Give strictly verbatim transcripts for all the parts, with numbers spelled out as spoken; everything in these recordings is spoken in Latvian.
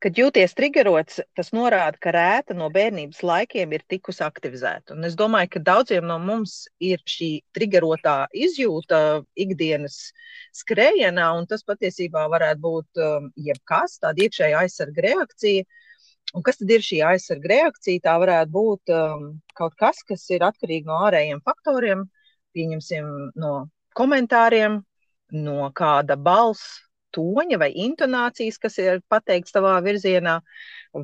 kad jūties triggerots, tas norāda, ka rēta no bērnības laikiem ir tikusi aktivizēta. Un es domāju, ka daudziem no mums ir šī triggerotā izjūta ikdienas skrējienā, un tas patiesībā varētu būt um, jebkas, tāda iekšēja aizsarga reakcija. Un kas tad ir šī aizsarga reakcija? Tā varētu būt um, kaut kas, kas ir atkarīgi no ārējiem faktoriem, pieņemsim no komentāriem, no kāda balss toņa vai intonācijas, kas ir pateikts tavā virzienā,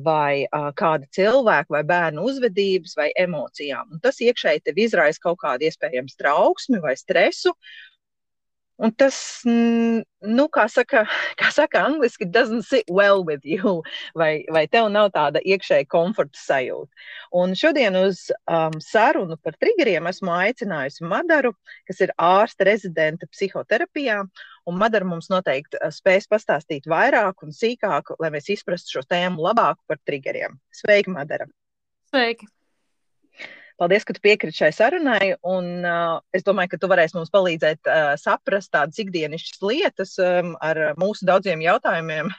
vai uh, kāda cilvēka vai bērnu uzvedības vai emocijām. Un tas iekšēji tev izraisa kaut kādu iespējams trauksmi vai stresu. Un tas, nu, kā saka, kā saka angliski, doesn't sit well with you, vai, vai tev nav tāda iekšēja komforta sajūta. Un šodien uz um, sarunu par triggeriem esmu aicinājusi Madaru, kas ir ārsta rezidente psihoterapijā, un Madara mums noteikti spēs pastāstīt vairāk un sīkāk, lai mēs izprastu šo tēmu labāk par triggeriem. Sveiki, Madara! Sveiki! Paldies, ka tu piekriti šai sarunai, un uh, es domāju, ka tu varēsi mums palīdzēt uh, saprast tādas ikdienišķas lietas um, ar mūsu daudziem jautājumiem,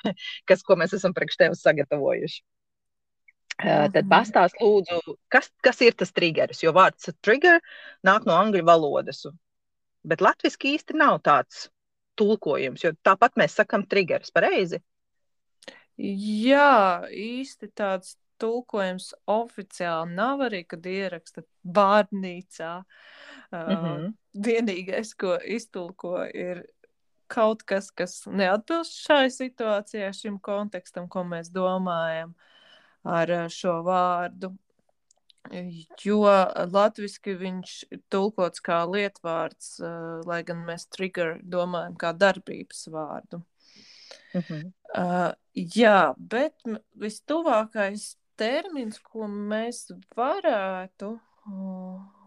kas, ko mēs esam priekš tevis sagatavojuši. Uh, tad pastāst lūdzu, kas, kas ir tas triggeris, jo vārds trigger nāk no angļu valodas, bet latviski īsti nav tāds tulkojums, jo tāpat mēs sakam triggeris, pareizi? Jā, īsti tāds tulkojums oficiāli nav arī, kad ieraksta bārnīcā. Mm-hmm. Uh, vienīgais, ko iztulko, ir kaut kas, kas neatbilst šai situācijai, šim kontekstam, ko mēs domājam ar šo vārdu. Jo latviski viņš ir tulkots kā lietvārds, uh, lai gan mēs trigger domājam kā darbības vārdu. Mm-hmm. Uh, jā, bet vistuvākais termins, ko mēs varētu,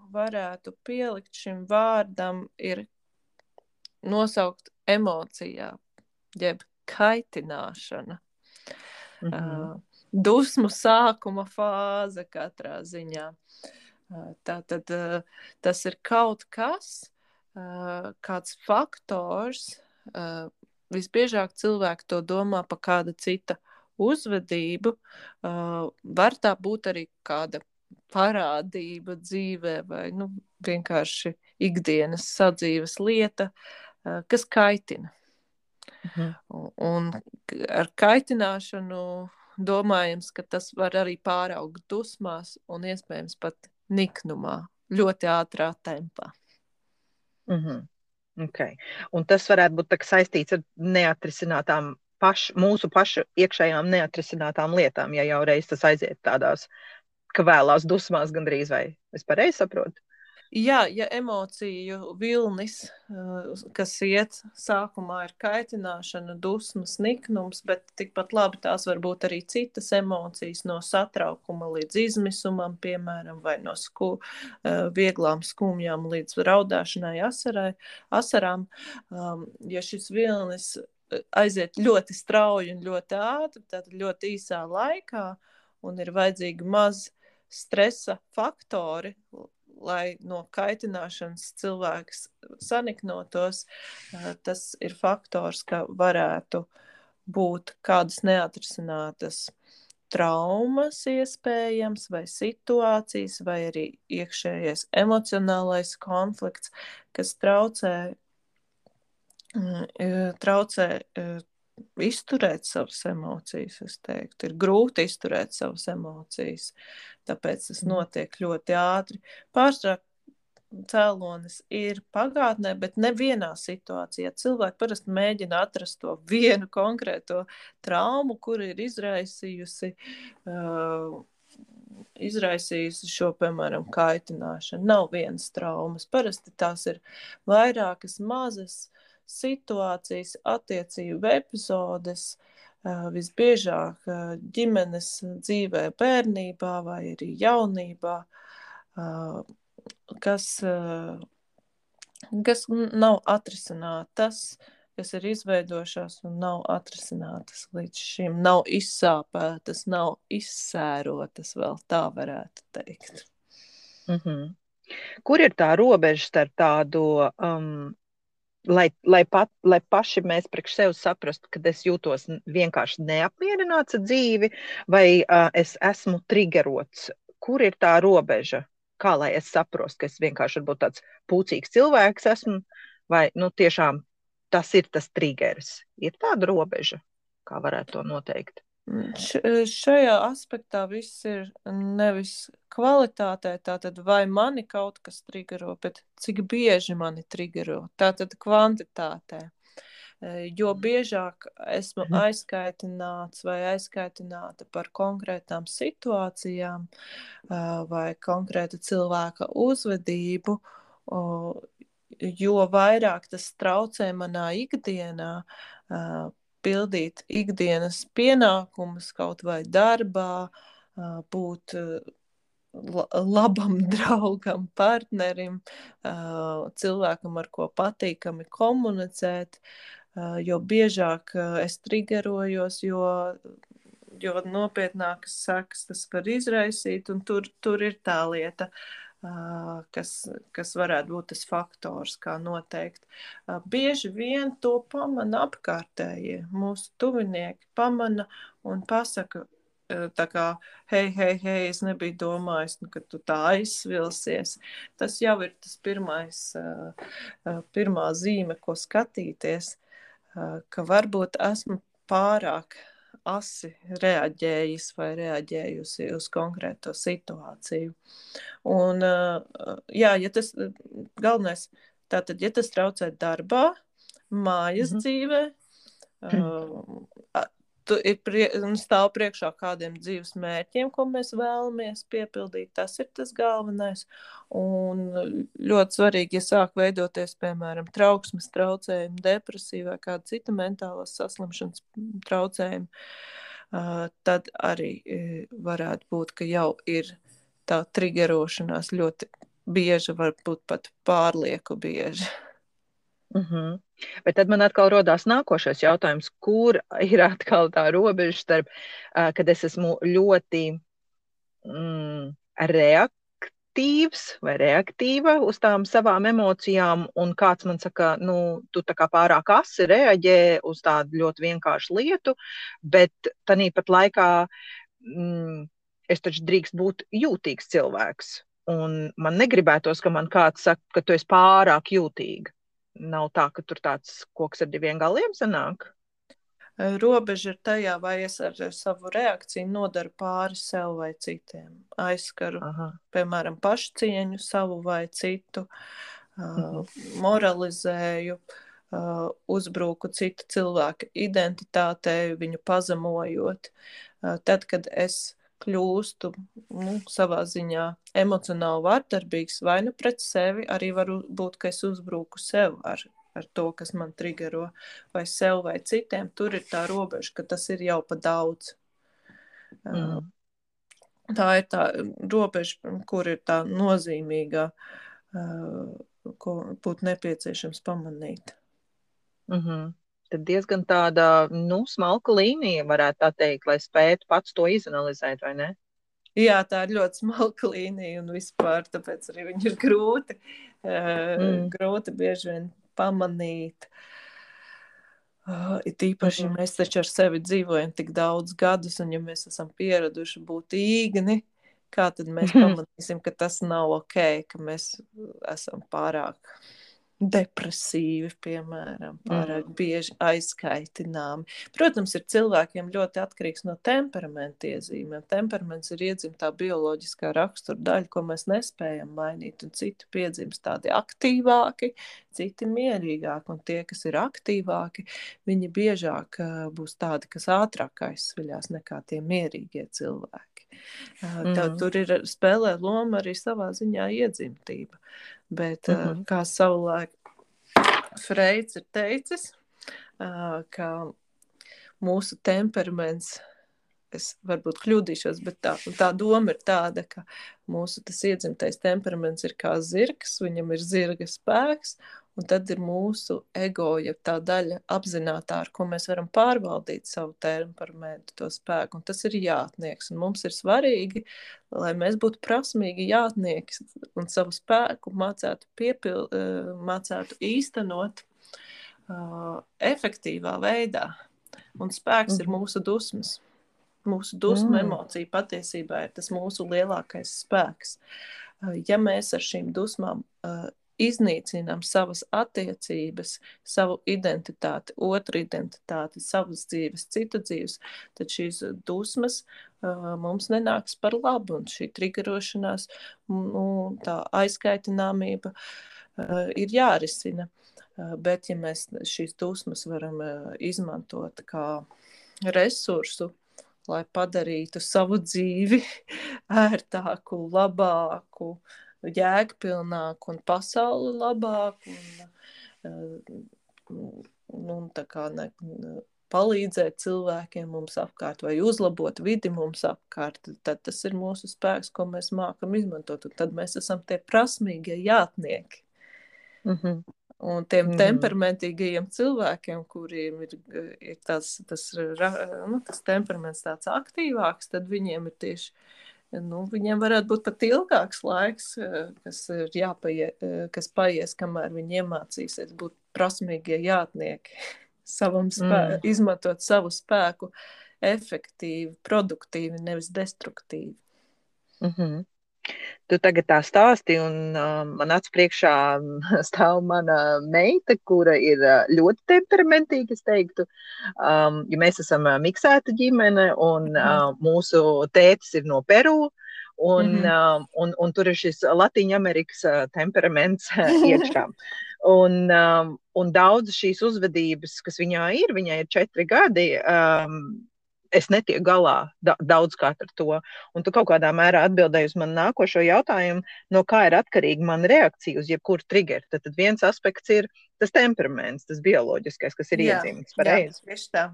varētu pielikt šim vārdam, ir nosaukt emocijā, jeb kaitināšana. Mm-hmm. Uh, dusmu sākuma fāze katrā ziņā. Uh, tātad uh, tas ir kaut kas, uh, kāds faktors, uh, visbiežāk cilvēki to domā pa kāda cita uzvedību, uh, var tā būt arī kāda parādība dzīvē vai nu, vienkārši ikdienas sadzīves lieta, uh, kas kaitina. Mm-hmm. Un, un ar kaitināšanu domājams, ka tas var arī pāraugt dusmās un iespējams pat niknumā, ļoti ātrā tempā. Mm-hmm. Okay. Un tas varētu būt tā, saistīts ar neatrisinātām paš, mūsu pašu iekšējām neatrisinātām lietām, ja jau reiz tas aiziet tādās kvēlās dusmās gandrīz, vai es pareizi saprotu? Jā, ja emociju vilnis, kas iet sākumā ir kaitināšana, dusmas, niknums, bet tikpat labi tās var būt arī citas emocijas, no satraukuma līdz izmisumam, piemēram, vai no sku, vieglām skumjām līdz raudāšanai, asarai, asarām. Ja šis vilnis aiziet ļoti strauji un ļoti ātri, tad ļoti īsā laikā, un ir vajadzīgi maz stresa faktori, lai no kaitināšanas cilvēks saniknotos, tas ir faktors, ka varētu būt kādas neatrisinātas traumas iespējams, vai situācijas, vai arī iekšējais emocionālais konflikts, kas traucē traucē izturēt savas emocijas, es teiktu. Ir grūti izturēt savas emocijas, tāpēc tas notiek ļoti ātri. Pārsvarā cēlonis ir pagātnē, bet nevienā situācijā. Cilvēki parasti mēģina atrast to vienu konkrēto traumu, kur ir izraisījusi, uh, izraisījusi šo, piemēram, kaitināšanu. Nav vienas traumas. Parasti tās ir vairākas mazas situācijas, attiecību epizodes, visbiežāk ģimenes dzīvē bērnībā vai arī jaunībā, kas, kas nav atrisinātas, kas ir izveidojušās un nav atrisinātas līdz šim, nav izsāpētas, nav izsērotas, vēl tā varētu teikt. Mm-hmm. Kur ir tā robeža starp tādu um, lai, lai, pat, lai paši mēs priekš sev saprastu, ka es jūtos vienkārši neapmierināts ar dzīvi, vai uh, es esmu triggerots. Kur ir tā robeža? Kā lai es saprostu, ka es vienkārši varbūt tāds pūcīgs cilvēks esmu, vai nu, tiešām tas ir tas triggeris? Ir tāda robeža, kā varētu to noteikt? Š, šajā aspektā viss ir nevis kvalitātē, tātad vai mani kaut kas triggero, bet cik bieži mani triggero, tātad kvantitātē. Jo biežāk esmu aizskaitināts vai aizskaitināta par konkrētām situācijām vai konkrēta cilvēka uzvedību, jo vairāk tas traucē manā ikdienā pildīt ikdienas pienākumus kaut vai darbā, būt labam draugam, partnerim, cilvēkam, ar ko patīkami komunicēt, jo biežāk es triggerojos, jo, jo nopietnākas sekas tas var izraisīt, un tur, tur ir tā lieta, Kas, kas varētu būt tas faktors, kā noteikt. Bieži vien to pamana apkārtējie. Mūsu tuvinieki pamana un pasaka, tā kā, hei, hei, hei, es nebiju domājis, nu, ka tu tā aizsvilsies. Tas jau ir tas pirmais, pirmā zīme, ko skatīties, ka varbūt esmu pārāk asi reaģējis vai reaģējusi uz konkrēto situāciju. Un, jā, ja tas galvenais, tātad, ja tas traucē darbā, mājas mm-hmm. dzīvē, uh, tu ir prie, stāv priekšā kādiem dzīves mērķiem, ko mēs vēlamies piepildīt, tas ir tas galvenais. Un ļoti svarīgi, ja sāk veidoties, piemēram, trauksmes traucējumi, depresija vai kāda cita mentālās saslimšanas traucējumi, uh, tad arī varētu būt, ka jau ir tā triggerošanās ļoti bieža, varbūt pat pārlieku bieža. Mm-hmm. Bet tad man atkal rodās nākošais jautājums, kur ir atkal tā robeža starp, uh, kad es esmu ļoti mm, reaktīvs vai reaktīva uz tām savām emocijām, un kāds man saka, nu, tu tā kā pārāk asi reaģē uz tādu ļoti vienkāršu lietu, bet tanīpat laikā mm, es taču drīkst būt jūtīgs cilvēks, un man negribētos, ka man kāds saka, ka tu esi pārāk jūtīga. Nav tā, ka tur tāds koks ar diviem galiem sanāk? Robeža ir tajā, vai es ar savu reakciju nodaru pāri sev vai citiem. Aizskaru, Aha. piemēram, pašcieņu savu vai citu, uh, moralizēju, uh, uzbruku citu cilvēku identitātei, viņu pazemojot. Uh, tad, kad es kļūstu nu, savā ziņā emocionāli vardarbīgs, vai nu pret sevi, arī var būt, ka es uzbruku sev ar, ar to, kas man triggero, vai sev vai citiem. Tur ir tā robeža, ka tas ir jau pa daudz. Mm. Tā ir tā robeža, kur ir tā nozīmīgā, ko būtu nepieciešams pamanīt. Mm-hmm. Tad diezgan tāda, nu, smalka līnija, varētu tā teikt, lai spētu pats to izanalizēt, vai ne? Jā, tā ir ļoti smalka līnija un vispār, tāpēc arī viņi ir grūti, mm. grūti bieži vien pamanīt. It īpaši, mm-hmm. ja mēs taču ar sevi dzīvojam tik daudz gadus, un ja mēs esam pieraduši būt īgni, kā tad mēs pamanīsim, ka tas nav ok, ka mēs esam pārāk depresīvi, piemēram, pārāk mm. bieži aizskaitināmi. Protams, ir cilvēkiem ļoti atkarīgs no temperamenta iezīmēm. Temperaments ir iedzimtā bioloģiskā rakstura daļa, ko mēs nespējam mainīt, un citi piedzimst tādi aktīvāki, citi mierīgāki, un tie, kas ir aktīvāki, viņi biežāk uh, būs tādi, kas ātrāk aizsviļās nekā tie mierīgie cilvēki. Uh, tā, mm. Tur ir spēlē loma arī savā ziņā iedzimtība. Bet, mm-hmm. kā savulaik Freids ir teicis, ka mūsu temperaments, es varbūt kļūdīšos, bet tā, tā doma ir tāda, ka mūsu tas iedzimtais temperaments ir kā zirgs, viņam ir zirga spēks, un tad ir mūsu ego, ja tā daļa apzinātā, ar ko mēs varam pārvaldīt savu temperamentu, to spēku, un tas ir jātnieks, un mums ir svarīgi, lai mēs būtu prasmīgi jātnieki un savu spēku mācētu, piepil, mācētu īstenot, uh, efektīvā veidā. Un spēks mm. ir mūsu dusmas. Mūsu dusmu mm. emocija patiesībā ir tas mūsu lielākais spēks. Uh, ja mēs ar šīm dusmām uh, iznīcinām savas attiecības, savu identitāti, otru identitāti, savas dzīves, citu dzīves, tad šīs dusmas uh, mums nenāks par labu. Un šī triggerošanās, nu, tā aizkaitināmība uh, ir jārisina. Uh, bet, ja mēs šīs dusmas varam uh, izmantot kā resursu, lai padarītu savu dzīvi ērtāku, labāku, jēgpilnāku un pasauli labāku un, un tā kā ne, palīdzēt cilvēkiem mums apkārt vai uzlabot vidi mums apkārt, tad tas ir mūsu spēks, ko mēs mākam izmantot, un tad mēs esam tie prasmīgie jātnieki. Mm-hmm. Un tiem mm-hmm. temperamentīgajiem cilvēkiem, kuriem ir, ir tas, tas, nu, tas temperaments tāds aktīvāks, tad viņiem ir tieši Nu, viņiem varētu būt pat ilgāks laiks, kas, ir jāpaie, kas paies, kamēr viņi iemācīsies būt prasmīgie jātnieki, savam spē, mm. izmantot savu spēku efektīvi, produktīvi, nevis destruktīvi. Mm-hmm. Tu tagad tā stāsti, un uh, man acu priekšā stāv mana meita, kura ir uh, ļoti temperamentīga, es teiktu. Um, ja mēs esam uh, miksēta ģimene, un uh, mūsu tētis ir no Peru, un, mm-hmm. uh, un, un tur ir šis Latīņa Amerikas uh, temperaments uh, iekšā. Un, um, un daudz šīs uzvedības, kas viņā ir, viņai ir četri gadi, um, es netieku galā da, daudzkārt ar to. Un tu kaut kādā mērā atbildēji uz man nākošo jautājumu, no kā ir atkarīga mana reakcija uz jebkuru triggeru. Tad, tad viens aspekts ir tas temperaments, tas bioloģiskais, kas ir jā, iedzimts. Pareizi? Jā, tieši tā.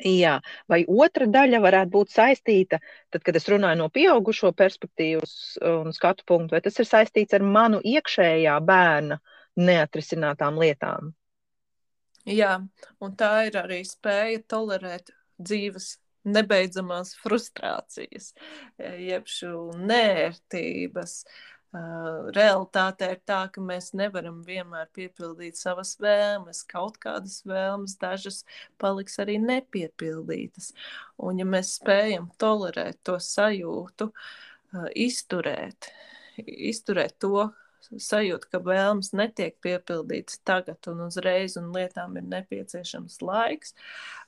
Jā, vai otra daļa varētu būt saistīta, tad, kad es runāju no pieaugušo perspektīvas un skatu punktu, vai tas ir saistīts ar manu iekšējā bērna neatrisinātām lietām? Jā, un tā ir arī spēja tolerēt dzīves nebeidzamās frustrācijas, jeb šo nērtības. Uh, realitāte ir tā, ka mēs nevaram vienmēr piepildīt savas vēlmes, kaut kādas vēlmes, dažas paliks arī nepiepildītas. Un ja mēs spējam tolerēt to sajūtu, uh, izturēt, izturēt to sajūtu, ka vēlmes netiek piepildītas tagad un uzreiz, un lietām ir nepieciešams laiks,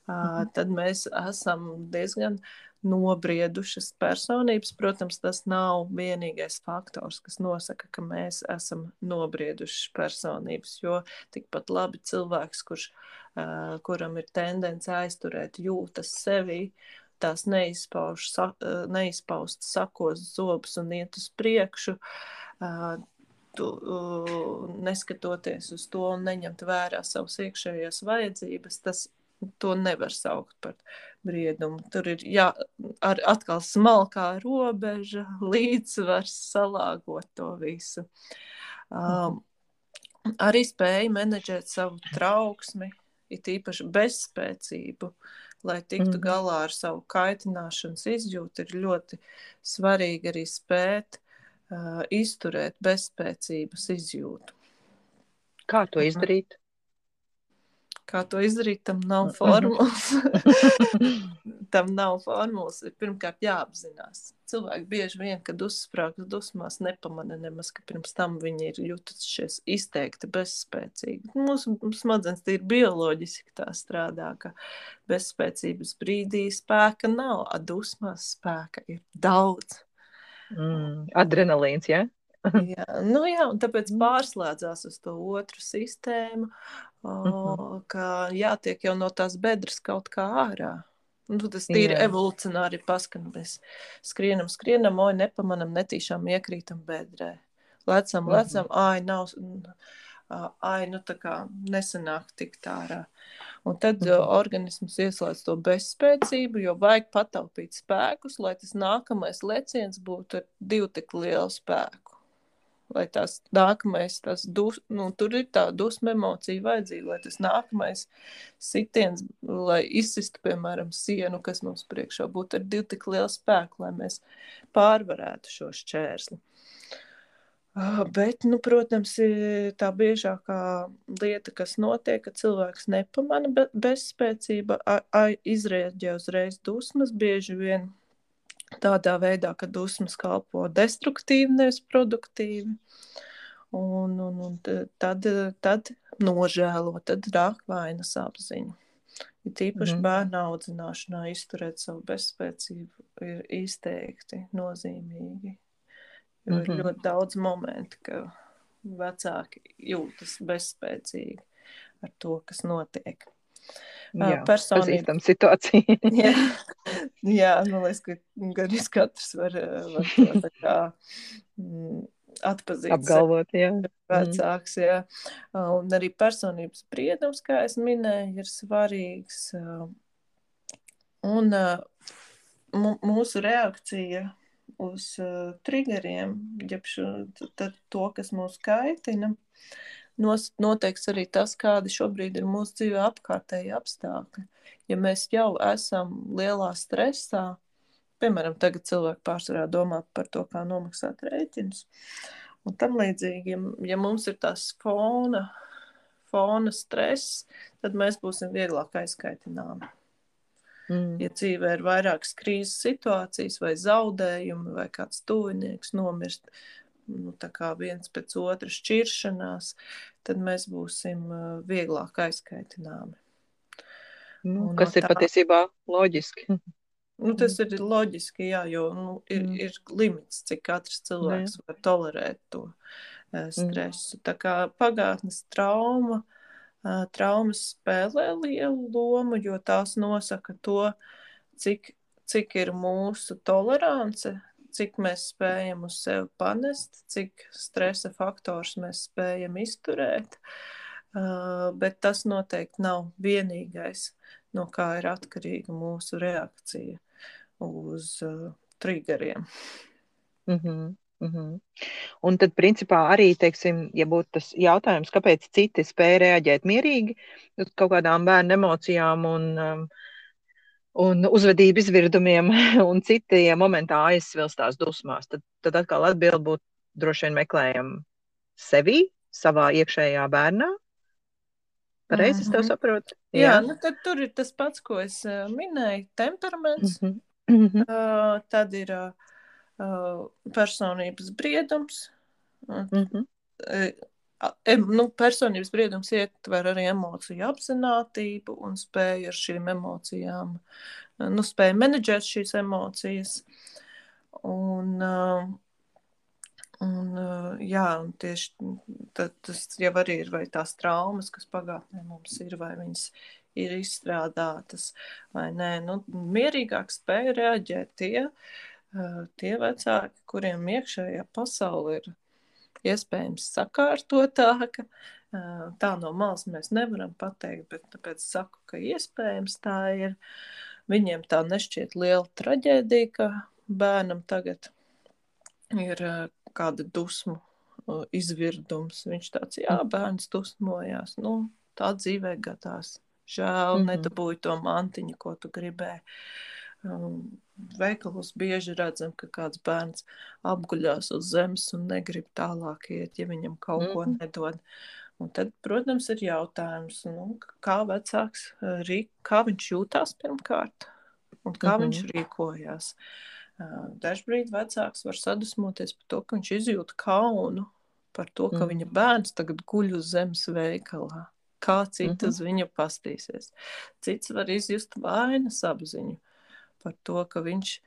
uh, tad mēs esam diezgan nobriedušas personības. Protams, tas nav vienīgais faktors, kas nosaka, ka mēs esam nobriedušas personības, jo tikpat labi cilvēks, kurš, uh, kuram ir tendence aizturēt jūtas sevī, tās neizpauž, sa, neizpaust sakos zobus un iet uz priekšu, uh, tu, uh, neskatoties uz to un neņemt vērā savas iekšējās vajadzības, tas to nevar saukt par briedumu. Tur ir jā, ar, atkal smalkā robeža, līdzsvars, salāgot to visu. Um, arī spēja menedžēt savu trauksmi, it īpaši bezspēcību, lai tiktu mm-hmm. galā ar savu kaitināšanas izjūtu, ir ļoti svarīgi arī spēt uh, izturēt bezspēcības izjūtu. Kā to izdarīt? Kā to izdarīt, tam nav formulas. tam nav formulas. Pirmkārt jāapzinās. Cilvēki bieži vien, kad uzsprāgas dusmās, nepamana nemaz, ka pirms tam viņi ir jutušies izteikti bezspēcīgi. Mūsu smadzenes ir bioloģiski tā strādā, ka bezspēcības brīdī spēka nav, a dusmās spēka ir daudz. Mm, adrenalīns, ja? jā, nu jā, un tāpēc pārslēdzās uz to otru sistēmu, o, uh-huh. ka jātiek jau no tās bedres kaut kā ārā. Nu, tas tīri jā. Evolucionāri paskan, mēs skrienam, skrienam, oj, nepamanam, netīšām iekrītam bedrē. Lecam, uh-huh. lecam, ai, nav, ai, nu tā kā nesanāk tikt ārā. Un tad uh-huh. organisms ieslēdz to bezspēcību, jo vajag pataupīt spēkus, lai tas nākamais leciens būtu ar divu tik lielu spēku. Lai tās nākamais, tās dus, nu, tur ir tā dusma emocija vajadzīga, lai tas nākamais sitiens, lai izsistu, piemēram, sienu, kas mums priekšā būtu ar divu tik lielu spēku, lai mēs pārvarētu šo šķērsli. Ah, Bet, nu, protams, ir tā biežākā lieta, kas notiek, ka cilvēks nepamana be- bezspēcība, a- a- izrēģē uzreiz dusmas, bieži vien tādā veidā, ka dusmas kalpo destruktīvi, nevis produktīvi. Un, un, un t- tad, tad nožēlo, tad rāk vainas apziņa. Ir tīpaši Mhm. bērnu audzināšanā izturēt savu bezspēcību ir izteikti nozīmīgi. Jo ir Mhm. ļoti daudz momentu, ka vecāki jūtas bezspēcīgi ar to, kas notiek. Ā, Jā, Personība. pazīstam situāciju. Jā, jā, man liekas, ka gan es katrs var, var to tā kā mm, atpazīt sev Apgalvot, jā. Mhm. vecāks, jā. Un arī personības spriedums, kā es minēju, ir svarīgs. Un ā, mu- mūsu reakcija uz uh, triggeriem, jeb šo, tad to, kas mūs kaitina, nos, noteiks arī tas, kādi šobrīd ir mūsu dzīvē apkārtēji apstākļi. Ja mēs jau esam lielā stresā, piemēram, tagad cilvēki pārsvarā domā par to, kā nomaksāt rēķinus, un tam līdzīgi, ja, ja mums ir tās fona, fona stress, tad mēs būsim vieglāk aizkaitināmi. Mm. Ja dzīvē ir vairākas krīzes situācijas, vai zaudējumi, vai kāds tuvinieks nomirst, nu, tā kā viens pēc otra šķiršanās, tad mēs būsim uh, vieglāk aizkaitināmi. Nu, Un no kas ir tā, patiesībā loģiski. nu, tas ir loģiski, jā, jo nu, ir, Mm. ir limits, cik katrs cilvēks var tolerēt to uh, stresu. Tā kā pagātnes trauma, uh, traumas spēlē lielu lomu, jo tās nosaka to, cik, cik ir mūsu tolerance, cik mēs spējam uz sevi panest, cik stresa faktors mēs spējam izturēt. Uh, bet tas noteikti nav vienīgais, no kā ir atkarīga mūsu reakcija uz uh, triggeriem. Mhm. Mhm. Un tad, principā, arī, teiksim, ja būtu tas jautājums, kāpēc citi spēja reaģēt mierīgi uz kaut kādām bērnu emocijām un, um, un uzvedību izvirdumiem, un citi ja momentā aizsvilstās dusmās, tad, tad atkal atbildi būtu droši vien meklējam sevī, savā iekšējā bērnā. Pareizi es tev Mhm. saprotu? Jā, nu tad tur ir tas pats, ko es uh, minēju, temperaments, Mhm. Mhm. uh, tad ir uh, personības briedums, un, Mhm. uh, em, nu, personības briedums ietver arī emociju apzinātību un spēju ar šīm emocijām, uh, nu, spēju menedžēt šīs emocijas. Un, uh, un, uh, jā, un tieši tad, tas jau arī ir vai tās traumas, kas pagātnē mums ir, vai viņas ir izstrādātas, vai nē. Nu, mierīgāk spēja reaģēt tie, uh, tie vecāki, kuriem iekšējā pasaule ir iespējams sakārtotāka. Uh, tā no malas mēs nevaram pateikt, bet tāpēc saku, ka iespējams tā ir. Viņiem tā nešķiet liela traģēdija, ka bērnam tagad ir uh, kāda dusmu uh, izvirdums. Viņš tāds, jā, bērns dusmojās. Nu, tā dzīvē gadās. Žēl, Mhm. nedabūju to mantiņu, ko tu gribēji. Um, veikalos bieži redzam, ka kāds bērns apguļās uz zemes un negrib tālāk iet, ja viņam kaut ko Mhm. nedod. Un tad, protams, ir jautājums, nu, kā vecāks, uh, rīk, kā viņš jūtās pirmkārt un kā Mhm. viņš rīkojās. Uh, Dažbrīd vecāks var sadusmoties par to, ka viņš izjūt kaunu par to, ka Mhm. viņa bērns tagad guļ uz zemes veikalā. Kā citi Mhm. uz viņu pastīsies. Cits var izjust vainas apziņu par to, ka viņš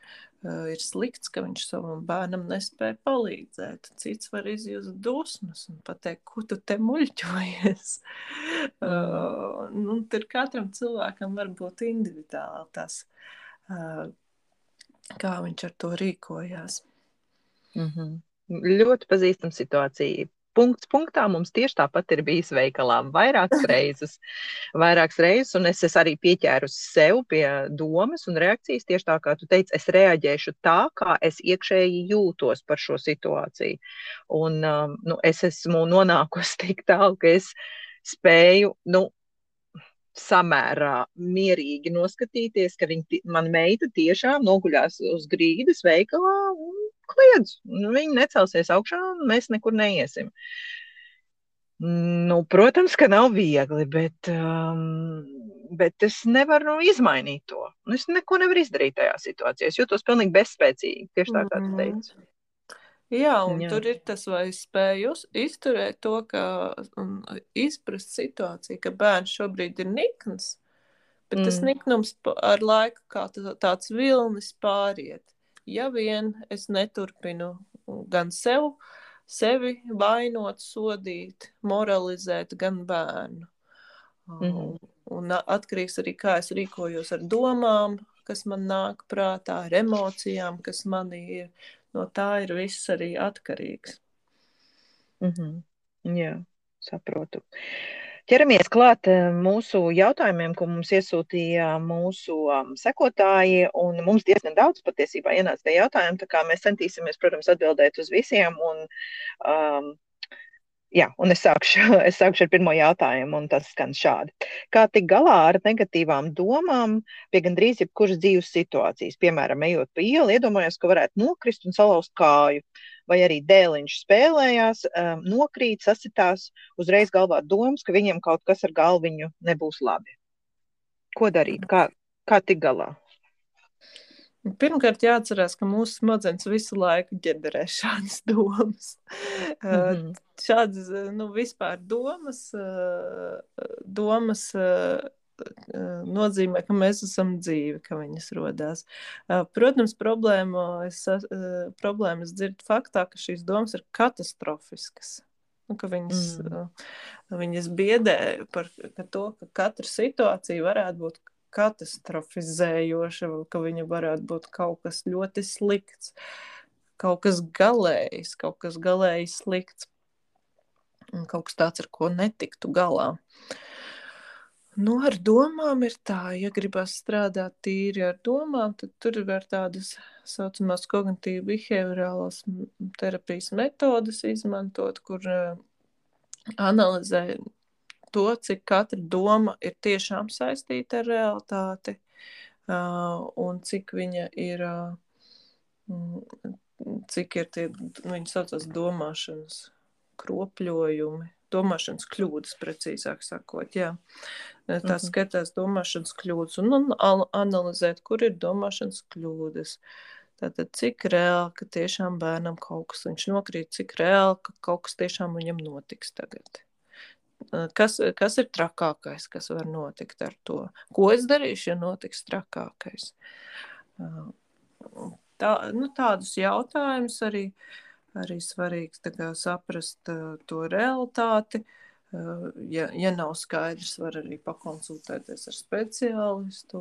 uh, ir slikts, ka viņš savam bērnam nespēja palīdzēt. Cits var izjust dusmas un pateikt, ko tu te muļķojies. Mm. Uh, nu, tur katram cilvēkam var būt individuāli tas, uh, kā viņš ar to rīkojās. Mhm. Ļoti pazīstama situācija. Punkts punktā mums tieši tāpat ir bijis veikalā vairākas reizes. Vairākas reizes, un es, es arī pieķēru sev pie domas un reakcijas tieši tā, kā tu teici, es reaģēšu tā, kā es iekšēji jūtos par šo situāciju. Un um, nu, es esmu nonākusi tik tālu, ka es spēju, nu, samērā mierīgi noskatīties, ka viņa, man meita tiešām noguļās uz grīdas veikalā un kliedz, viņi necelsies augšā un mēs nekur neiesim. Nu, protams, ka nav viegli, bet, um, bet es nevaru izmainīt to. Es neko nevaru izdarīt tajā situācijā. Es jūtos pilnīgi bezspēcīgi, tieši tā, kā tu teici. Jā, un Jā. tur ir tas, vai spēj uz, izturēt to, ka un izprast situāciju, ka bērns šobrīd ir nikns, bet mm. tas niknums ar laiku kā tāds vilnis pāriet. Ja vien es neturpinu gan sev, sevi vainot, sodīt, moralizēt, gan bērnu. Mm-hmm. Un atkarīgs arī, kā es rīkojos ar domām, kas man nāk prātā, ar emocijām, kas manī ir. No tā ir viss arī atkarīgs. Mm-hmm. Jā, saprotu. Ķeramies klāt mūsu jautājumiem, ko mums iesūtīja mūsu um, sekotāji, un mums diezgan daudz patiesībā ienāca tie jautājumi, tā kā mēs centīsimies, protams, atbildēt uz visiem, un, um, jā, un es sākšu, es sākšu ar pirmo jautājumu, un tas skan šādi. Kā tik galā ar negatīvām domām pie gandrīz jebkuras dzīves situācijas, piemēram, ejot pa ielu, iedomājos, ka varētu nokrist un salauzt kāju, vai arī dēliņš spēlējās, um, nokrīt, sasitās, uzreiz galvā domas, ka viņiem kaut kas ar galviņu nebūs labi. Ko darīt? Kā, kā tik galā? Pirmkārt jāatcerās, ka mūsu smadzenes visu laiku ģenerē šādas domas. Mm-hmm. Šādas, nu, vispār domas, domas nozīmē, ka mēs esam dzīvi, ka viņas rodās. Protams, problēma, es, problēmas dzird faktā, ka šīs domas ir katastrofiskas. Nu, ka viņas, mm. viņas biedē par ka to, ka katra situācija varētu būt katastrofizējoša, ka viņa varētu būt kaut kas ļoti slikts, kaut kas galējs, kaut kas galēji slikts, un kaut kas tāds, ar ko netiktu galā. Nu, ar domām ir tā, ja gribas strādāt tīri ar domām, tad tur var tādas saucamās kognitīvi behaviorālās terapijas metodas izmantot, kur uh, analizē to, cik katra doma ir tiešām saistīta ar realitāti, uh, un cik viņa ir, uh, cik ir tie, viņi saucās domāšanas kropļojumi, domāšanas kļūdas, precīzāk sakot, jā. Tā skatās domāšanas kļūdas un, un analizēt, kur ir domāšanas kļūdas. Tātad, cik reāli, ka tiešām bērnam kaut kas viņš nokrīt, cik reāli, ka kaut kas tiešām viņam notiks tagad. Kas, kas ir trakākais, kas var notikt ar to? Ko es darīšu, ja notiks trakākais? Tā, nu, tādus jautājumus arī, arī svarīgs tā kā saprast uh, to realitāti. Ja, ja nav skaidrs, var arī pakonsultēties ar speciālistu,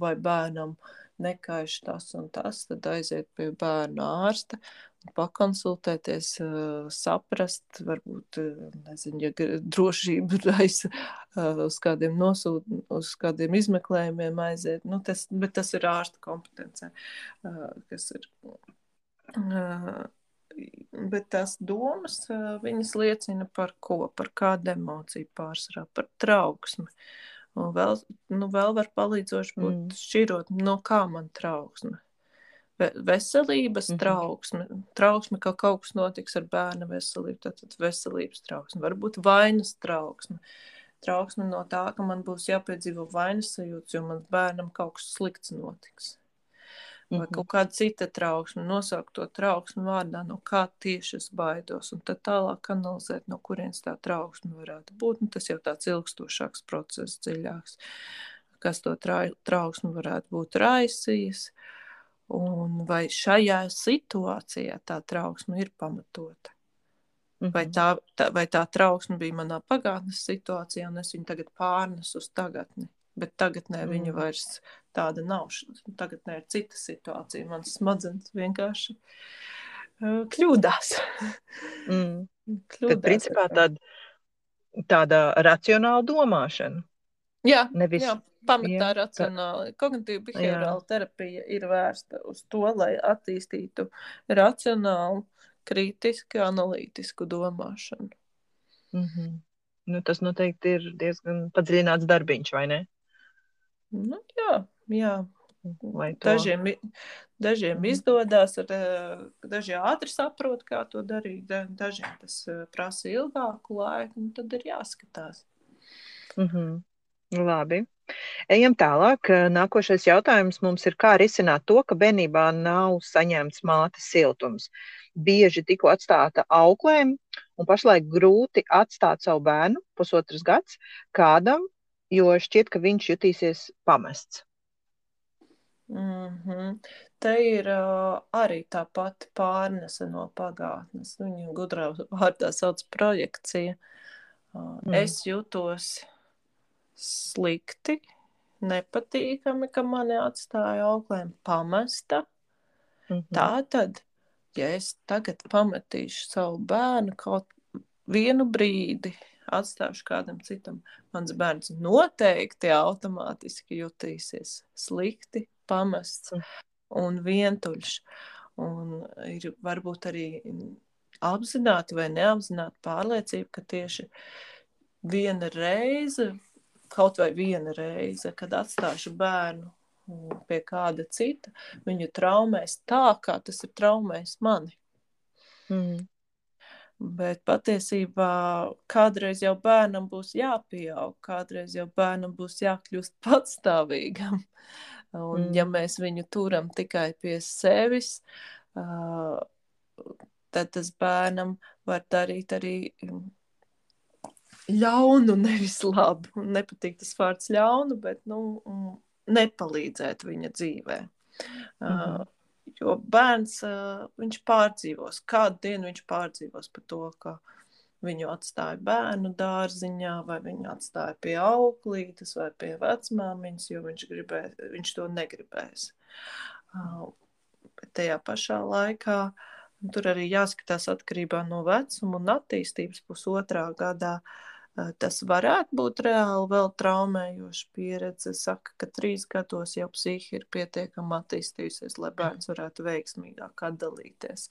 vai bērnam nekaiš tas un tas, tad aiziet pie bērna ārsta, pakonsultēties, saprast, varbūt, nezinu, ja drošība raisa uz kādiem nosūt, uz kādiem izmeklējumiem aiziet, nu tas, bet tas ir ārsta kompetencē, kas ir... Bet tās domas, viņas liecina par ko, par kādu emociju pārsvarā, par trauksmi. Un vēl, nu, vēl var palīdzoši būt mm. šķirot, no kā man trauksme. Veselības mm-hmm. trauksme, trauksme, ka kaut kas notiks ar bērna veselību, tātad veselības trauksme, varbūt vainas trauksme. Trauksme no tā, ka man būs jāpiedzīvo vainas sajūts, jo man bērnam kaut kas slikts notiks. Vai kaut kāda cita trauksme, nosaukt to trauksmi vārdā, no kā tieši es baidos, un tad tālāk analizēt, no kurienes tā trauksme varētu būt. Nu, tas jau tāds ilgstošāks process, dziļāks, kas to tra- trauksmi varētu būt raisījis, un vai šajā situācijā tā trauksme ir pamatota. Mm-hmm. Vai, tā, tā, vai tā trauksme bija manā pagātnes situācijā, un es viņu tagad pārnesu uz tagadni. Bet tagadnē mm. viņa vairs tāda nav. Tagadnē ir cita situācija. Mans smadzenes vienkārši uh, kļūdās. Mm. kļūdās. Tad, principā, tāda, tāda racionāla domāšana. Jā, Nevis, jā pamatā jā, racionāli. Kognitīva behaviorāla terapija ir vērsta uz to, lai attīstītu racionālu, kritiski, analītisku domāšanu. Mm-hmm. Nu, tas noteikti ir diezgan padziļināts darbiņš, vai ne? Nu, jā, jā. vai to. Dažiem, dažiem Mhm. izdodas, ar, daži ātri saprot, kā to darīt, dažiem tas prasa ilgāku laiku, un tad ir jāskatās. Mhm. Labi. Ejam tālāk. Nākošais jautājums mums ir, kā risināt to, ka bērnībā nav saņemts mātes siltums. Bieži tiku atstāta auklēm, un pašlaik grūti atstāt savu bērnu, pusotras gads, kādam, jo šķiet, ka viņš jutīsies pamests. Mm-hmm. Te ir uh, arī tā pati pārnese no pagātnes. Viņu gudrā vārdā sauc projekcija. Uh, Mm. Es jūtos slikti, nepatīkami, ka mani atstāja auklēm pamesta. Mhm. Tātad, ja es tagad pametīšu savu bērnu kaut vienu brīdi, atstāšu kādam citam, mans bērns noteikti automātiski jutīsies slikti, pamests un vientuļš. Un ir varbūt arī apzināti vai neapzināti pārliecība, ka tieši viena reize, kaut vai viena reize, kad atstāšu bērnu pie kāda cita, viņu traumēs tā, kā tas ir traumējis mani. Mm. Bet patiesībā kādreiz jau bērnam būs jāpieaug, kādreiz jau bērnam būs jākļūst patstāvīgam. Un mm. ja mēs viņu turam tikai pie sevis, uh, tad tas bērnam var darīt arī ļaunu, nevis labu. Nepatīk tas vārds ļaunu, bet nu, nepalīdzēt viņa dzīvē. Mm-hmm. Uh, jo bērns, uh, viņš pārdzīvos, kādu dienu viņš pārdzīvos par to, ka viņu atstāja bērnu dārziņā, vai viņu atstāja pie auklītes, vai pie vecmāmiņas, jo viņš, gribē, viņš to negribēs. Uh, bet tajā pašā laikā tur arī jāskatās atkarībā no vecuma un attīstības pusotrā gadā. Tas varētu būt reāli vēl traumējoša pieredze. Saka, ka trīs gados jau psihi ir pietiekami attīstījusies, lai bērns varētu veiksmīgāk atdalīties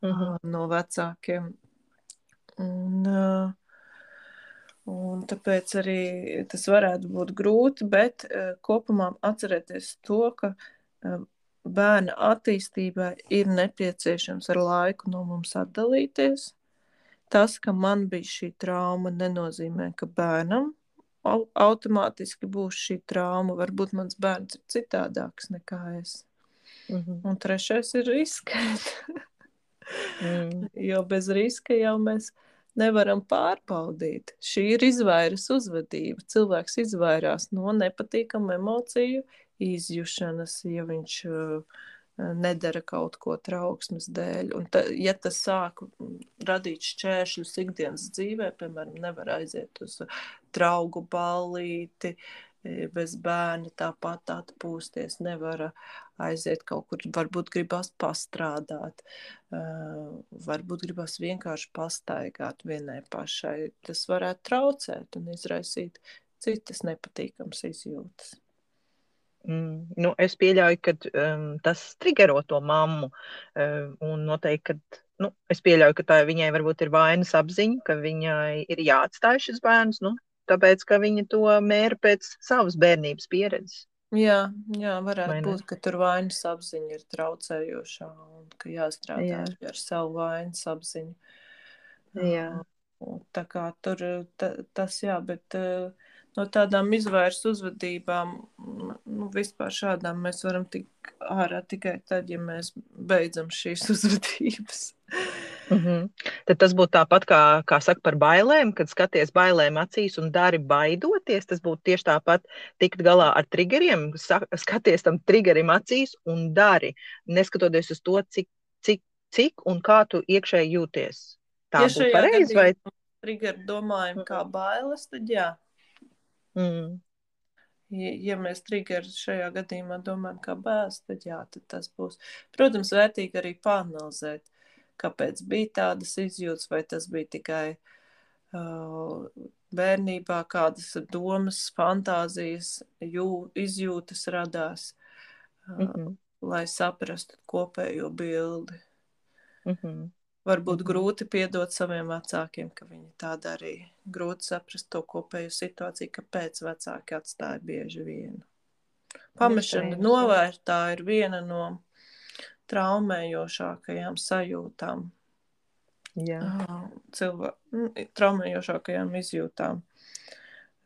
mm-hmm. no vecākiem. Un, un tāpēc arī tas varētu būt grūti, bet kopumā atcerēties to, ka bērna attīstībai ir nepieciešams ar laiku no mums atdalīties. Tas, ka man bija šī trauma, nenozīmē, ka bērnam automātiski būs šī trauma. Varbūt mans bērns ir citādāks nekā es. Mm-hmm. Un trešais ir riskēt. mm. Jo bez riska jau mēs nevaram pārbaudīt. Šī ir izvairas uzvedība. Cilvēks izvairās no nepatīkamu emociju izjušanas, ja viņš uh, nedara kaut ko trauksmes dēļ. Un ta, ja tas sāk radīt šķēršļus ikdienas dzīvē, piemēram, nevar aiziet uz draugu ballīti, bez bērna tāpat atpūsties, nevar aiziet kaut kur, varbūt gribas pastrādāt, varbūt gribas vienkārši pastaigāt vienai pašai. Tas varētu traucēt un izraisīt citas nepatīkamas izjūtas. Mm, nu, es pieļauju, ka um, tas trigero to mammu. Um, un noteikti, ka, nu, es pieļauju, ka tā viņai varbūt ir vainas apziņa, ka viņai ir jāatstāj šis bērns, nu, tāpēc, ka viņa to mēra pēc savas bērnības pieredzes. Jā, jā, varētu būt, ka tur vainas apziņa ir traucējošā un ka jāstrādā jā. ar savu vainas apziņu. Jā. Tā kā tur ta, tas jā, bet no tādām izvairs uzvedībām, nu, vispār šādām mēs varam tikt ārā tikai tad, ja mēs beidzam šīs uzvedības. Mm-hmm. Tad tas būtu tāpat, kā, kā saka par bailēm, kad skaties bailēm acīs un dari baidoties, tas būtu tieši tāpat tikt galā ar triggeriem, skaties tam triggerim acīs un dari, neskatoties uz to, cik, cik, cik un kā tu iekšēji jūties. Tā ja būtu pareizi, vai? Triggeru domājam kā bailes, tad jā. Mm. Ja, ja mēs triggeru šajā gadījumā domājam kā bailes, tad jā, tad tas būs. Protams, vērtīgi arī pāranalizēt, kāpēc bija tādas izjūtas, vai tas bija tikai uh, bērnībā, kādas domas, fantāzijas, jū, izjūtas radās, uh, mm-hmm. lai saprastu kopējo bildi. Mm-hmm. Varbūt mm-hmm. grūti piedot saviem vecākiem, ka viņi tā darīja. Grūti saprast to kopējo situāciju, kāpēc vecāki atstāja bieži vienu. Pamešana Iespējams, jā. novērtā ir viena no traumējošākajām sajūtām. Jā. Cilvē... traumējošākajām izjūtām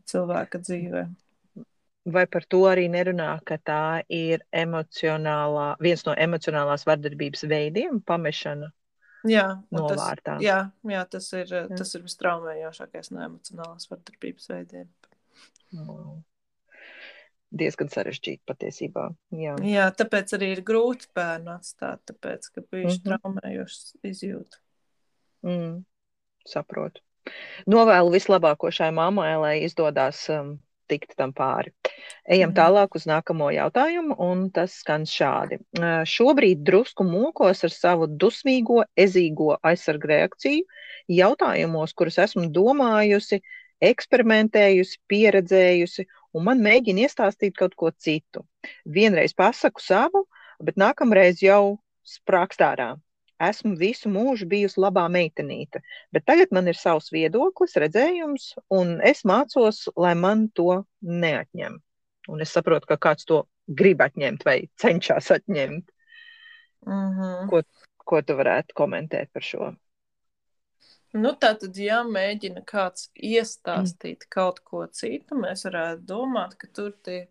cilvēka dzīvē. Vai par to arī nerunā, ka tā ir emocionālā, viens no emocionālās vardarbības veidiem, pamešana Jā, un tas, novārtā? jā, jā, tas ir, Jā. tas ir vistraumējošākais no emocionālās vardarbības veidiem. Wow. Diezgan sarežģīti patiesībā. Jā. Jā, tāpēc arī ir grūti bērnu atstāt, tāpēc, ka bijuši Mhm. traumējošas izjūta. Mm, saprotu. Novēlu vislabāko šai mammai, lai izdodas um, tikt tam pāri. Ejam Mm. tālāk uz nākamo jautājumu, un tas skan šādi. Uh, šobrīd drusku mokos ar savu dusmīgo, ezīgo aizsargu reakciju jautājumos, kurus esmu domājusi, eksperimentējusi, pieredzējusi, un man mēģina iestāstīt kaut ko citu. Vienreiz pasaku savu, bet nākamreiz jau sprākst ārā. Esmu visu mūžu bijusi labā meitenīte, bet tagad man ir savs viedoklis, redzējums, un es mācos, lai man to neatņem. Un es saprotu, ka kāds to grib atņemt vai cenšas atņemt. Mm-hmm. Ko, ko tu varētu komentēt par šo? Nu, tātad, ja mēģina kāds iestāstīt mm. kaut ko citu, mēs varētu domāt, ka tur tie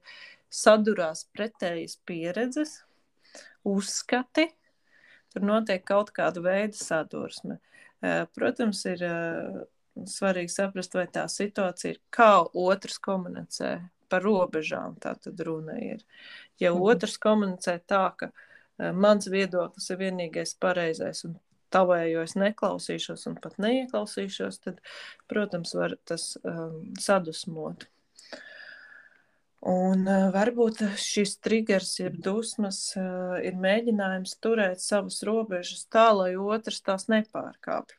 sadurās pretējas pieredzes, uzskati, tur notiek kaut kāda veida sadursme. Protams, ir svarīgi saprast, vai tā situācija ir, kā otrs komunicē par robežām, tā tad runa ir. Ja otrs komunicē tā, ka mans viedoklis ir vienīgais pareizais un tavējo es neklausīšos un pat neieklausīšos, tad, protams, var tas um, sadusmot. Un uh, varbūt šis triggers, jeb dusmas, uh, ir mēģinājums turēt savas robežas tā, lai otrs tās nepārkāpj.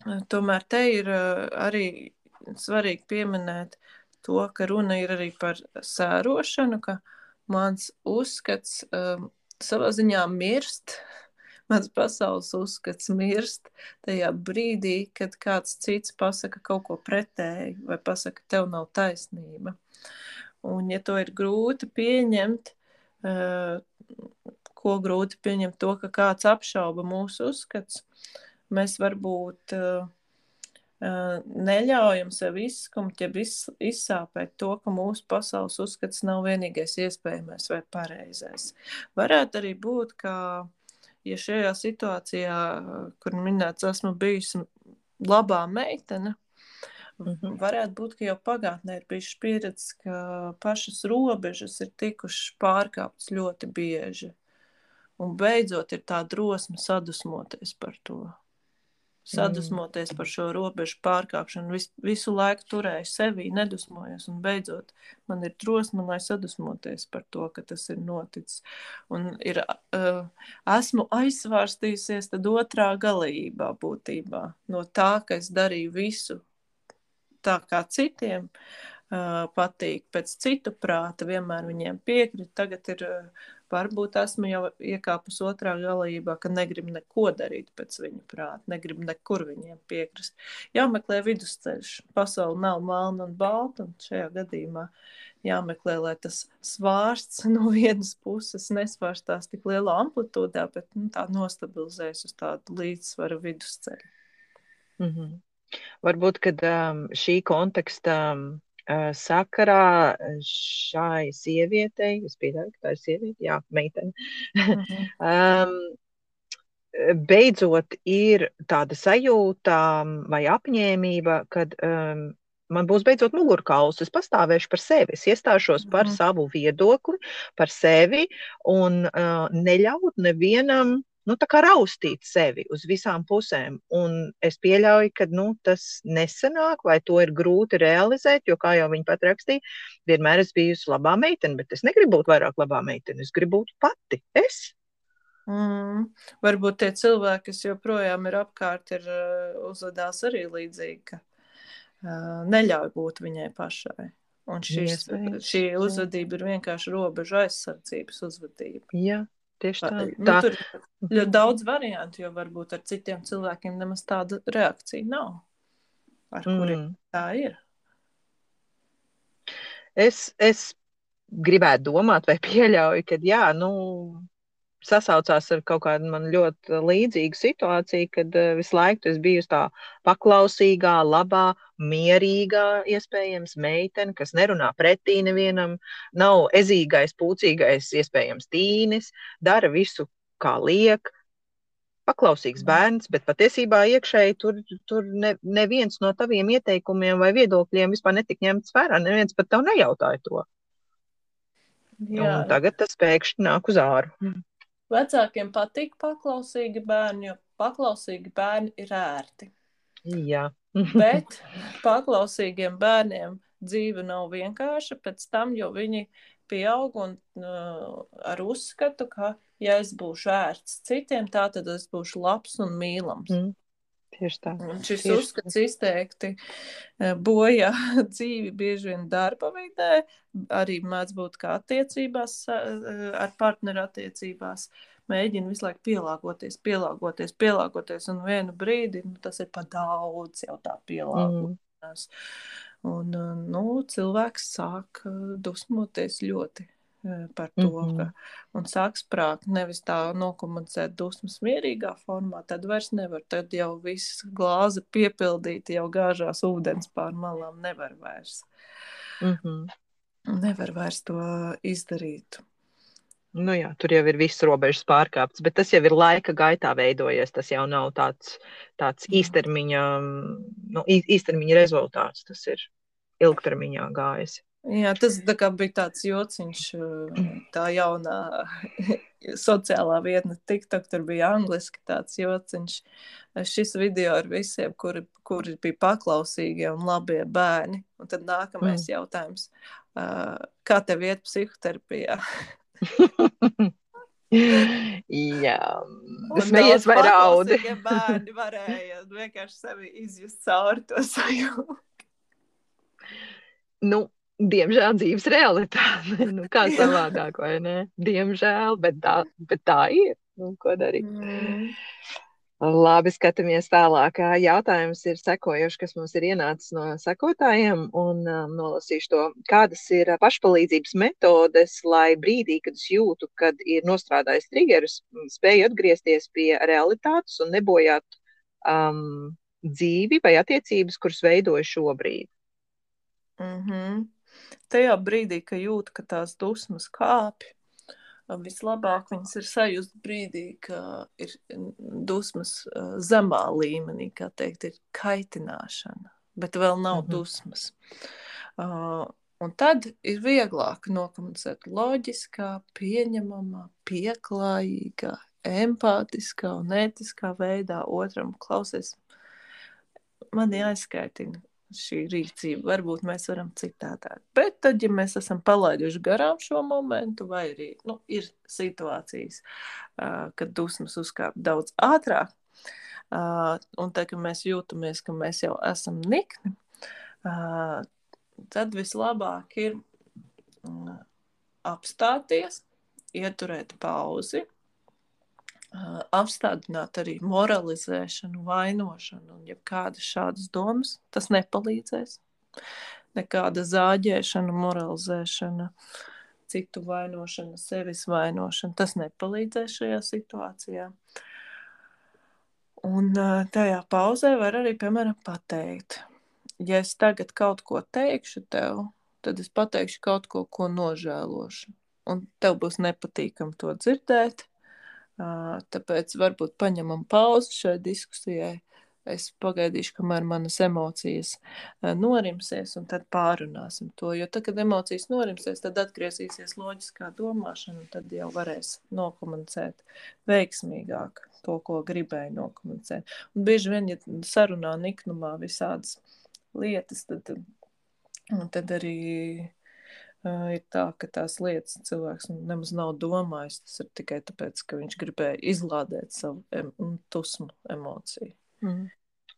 Uh, tomēr te ir uh, arī svarīgi pieminēt to, ka runa ir arī par sērošanu, ka mans uzskats um, savā ziņā mirst, mans pasaules uzskats mirst tajā brīdī, kad kāds cits pasaka kaut ko pretēju vai pasaka, tev nav taisnība. Un ja to ir grūti pieņemt, ko grūti pieņemt to, ka kāds apšauba mūsu uzskats, mēs varbūt neļaujam sev izskumt, ja izsāpēt to, ka mūsu pasaules uzskats nav vienīgais iespējamais vai pareizais. Varētu arī būt, ka ja šajā situācijā, kur minēts, esmu bijusi labā meitene, mm-hmm. varētu būt, ka jau pagātnē ir bijušas pieredzes, ka pašas robežas ir tikušas pārkāptas ļoti bieži. Un beidzot ir tā drosme sadusmoties par to. Sadusmoties mm. par šo robežu pārkāpšanu. Vis, visu laiku turēju sevī, nedusmojos, un beidzot man ir drosme, lai sadusmoties par to, ka tas ir noticis. Un ir, uh, esmu aizsvārstījusies tad otrā galībā būtībā. No tā, ka es darīju visu tā, kā citiem uh, patīk, pēc citu prāta, vienmēr viņiem piekrīt. Tagad ir, uh, varbūt esmu jau iekāpus otrā galībā, ka negribu neko darīt pēc viņu prāta, negribu nekur viņiem piekrist. Jāmeklē vidusceļš. Pasaule nav melna un balta, un šajā gadījumā jāmeklē, lai tas svārsts no vienas puses nesvārstās tik lielā amplitūdā, bet nu, tā nostabilizēs uz tādu līdzsvaru vidusceļu. Mm-hmm. Varbūt, kad um, šī konteksta um, sakarā šai sievietei, es pieļauju, ka tā ir sieviete, jā, meitene, mm-hmm. um, beidzot ir tāda sajūta vai apņēmība, kad um, man būs beidzot mugurkauls, es pastāvēšu par sevi, es iestāšos mm-hmm. par savu viedokli, par sevi un uh, neļaut nevienam nu, tā kā raustīt sevi uz visām pusēm. Un es pieļauju, ka nu, tas nesanāk, vai to ir grūti realizēt, jo, kā jau viņa pat rakstīja, vienmēr es bijusi labā meitene, bet es negribu būt vairāk labā meitene, es gribu būt pati, es. Mm. Varbūt tie cilvēki, kas joprojām ir apkārt, ir uzvedās arī līdzīgi, ka uh, neļauj būt viņai pašai. Un šis, yes, šī uzvedība ir vienkārši robežu aizsardzības uzvedība. Jā. Tieši tā. Nu, tur ir ļoti daudz variantu, jo varbūt ar citiem cilvēkiem nemaz tāda reakcija nav, ar kuriem mm. tā ir. Es, es gribētu domāt vai pieļauju, ka jā, nu, sasaucās ar kaut kādu man ļoti līdzīgu situāciju, kad uh, visu laiku es biju tā paklausīgā, labā, mierīgā, iespējams, meitene, kas nerunā pretī nevienam, nav ezīgais, pūcīgais, iespējams, tīnis, dara visu, kā liek, paklausīgs bērns, bet patiesībā iekšēji tur, tur ne, neviens no taviem ieteikumiem vai viedokļiem vispār netika ņemts vērā, neviens pat tev nejautāja to. Jā. Un tagad tas pēkšņi nāk uz āru. Vecākiem patīk paklausīgi bērni, jo paklausīgi bērni ir ērti. Jā. Bet paklausīgiem bērniem dzīve nav vienkārša pēc tam, jo viņi pieaug un uh, ar uzskatu, ka ja es būšu ērts citiem, tā tad es būšu labs un mīlams. Mm. Tieši tā. Un šis Tieši uzskats tā. Izteikti bojā dzīvi bieži vien darba vidē, arī mēdz būt kā attiecībās, ar partneru attiecībās, mēģina visu laiku pielāgoties, pielāgoties, pielāgoties, un vienu brīdi nu, tas ir pa daudz jau tā pielāgoties. Mm. Un, nu, cilvēks sāk dusmoties ļoti par to, mm-hmm. ka un sāk sprākt, nevis tā nokomunicēt dusmas mierīgā formā, tad vairs nevar, tad jau viss glāze piepildīta, jau gāžās ūdens pār malām, nevar vairs. Mm-hmm. Nevar vairs to izdarīt. Nu jā, tur jau ir viss robežas pārkāpts, bet tas jau ir laika gaitā veidojies, tas jau nav tāds, tāds īstermiņa, nu, īstermiņa rezultāts, tas ir ilgtermiņā gājis. Jā, tas tā kā bija tāds jociņš, tā jaunā sociālā vietne TikTok, tur bija angliski tāds jociņš. Šis video ar visiem, kuri, kuri bija paklausīgie un labie bērni. Un tad nākamais mm. jautājums, kā tev iet psihoterapijā? Jā, smejies vai raudi. Paklausīgie bērni varēja vienkārši sevi izjust cauri to sajūtu. Nu, diemžēl dzīves realitāte, nu kā savādāk, vai ne? Diemžēl, bet tā, bet tā ir, nu, ko darīt. Mm. Labi, skatāmies tālāk. Jautājums ir sekojošs, kas mums ir ienācis no sekotājiem, un um, nolasīšu to. Kādas ir pašpalīdzības metodes, lai brīdī, kad es jūtu, kad ir nostrādājis triggerus, spēju atgriezties pie realitātes un nebojāt um, dzīvi vai attiecības, kuras veidoju šobrīd? Mhm. Tajā brīdī, ka jūt, ka tās dusmas kāpj, vislabāk viņas ir sajust brīdī, ka ir dusmas zemā līmenī, kā teikt, ir kaitināšana, bet vēl nav mm-hmm. dusmas. Uh, un tad ir vieglāk nokomunicēt loģiskā, pieņemamā, pieklājīgā, empātiskā un ētiskā veidā otram klausies. Mani aizskaitina šī rīcība, varbūt mēs varam citādāk. Bet tad, ja mēs esam palaiduši garām šo momentu, vai arī nu, ir situācijas, uh, kad dusmas uzkāp daudz ātrāk, uh, un tad, kad mēs jūtamies, ka mēs jau esam nikni, uh, tad vislabāk ir uh, apstāties, ieturēt pauzi, Uh, apstādināt arī moralizēšanu, vainošanu un jebkādas šādas domas, tas nepalīdzēs. Nekāda zāģēšana, moralizēšana, citu vainošana, sevis vainošana, tas nepalīdzēs šajā situācijā. Un uh, tajā pauzē var arī, piemēram, pateikt, ja es tagad kaut ko teikšu tev, tad es pateikšu kaut ko, ko nožēlošu. Un tev būs nepatīkami to dzirdēt. Tāpēc varbūt paņemam pauzi šai diskusijai. Es pagaidīšu, kamēr manas emocijas norimsies, un tad pārunāsim to. Jo tad, kad emocijas norimsies, tad atgriezīsies loģiskā domāšana, un tad jau varēs nokomunicēt veiksmīgāk to, ko gribēju nokomunicēt. Un bieži vien, ja sarunā niknumā visādas lietas, tad, tad arī Uh, ir tā, ka tās lietas cilvēks nemaz nav domājis. Tas ir tikai tāpēc, ka viņš gribēja izlādēt savu em- tusmu emociju. Mm.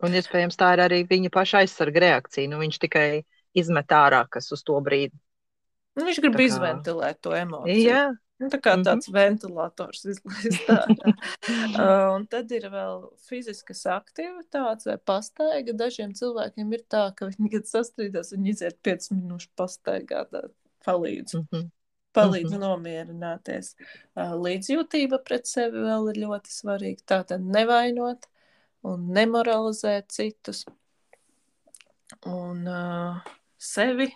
Un iespējams tā ir arī viņa paša aizsarga reakcija. Nu, viņš tikai izmet ārā, kas uz to brīdi. Nu, viņš grib Tā kā... izventilēt to emociju. Jā. Nu, tā kā tāds mm-hmm. ventilators izlaist ārā. uh, un tad ir vēl fiziskas aktivitātes vai pastaiga. Dažiem cilvēkiem ir tā, ka viņi, kad sastrīdās, viņi iziet piecas minūšu pastaigā, tā palīdz. Mm-hmm. palīdz Mhm. nomierināties. Uh, Līdzjūtība pret sevi vēl ir ļoti svarīga. Tātad nevainot un nemoralizēt citus un uh, sevi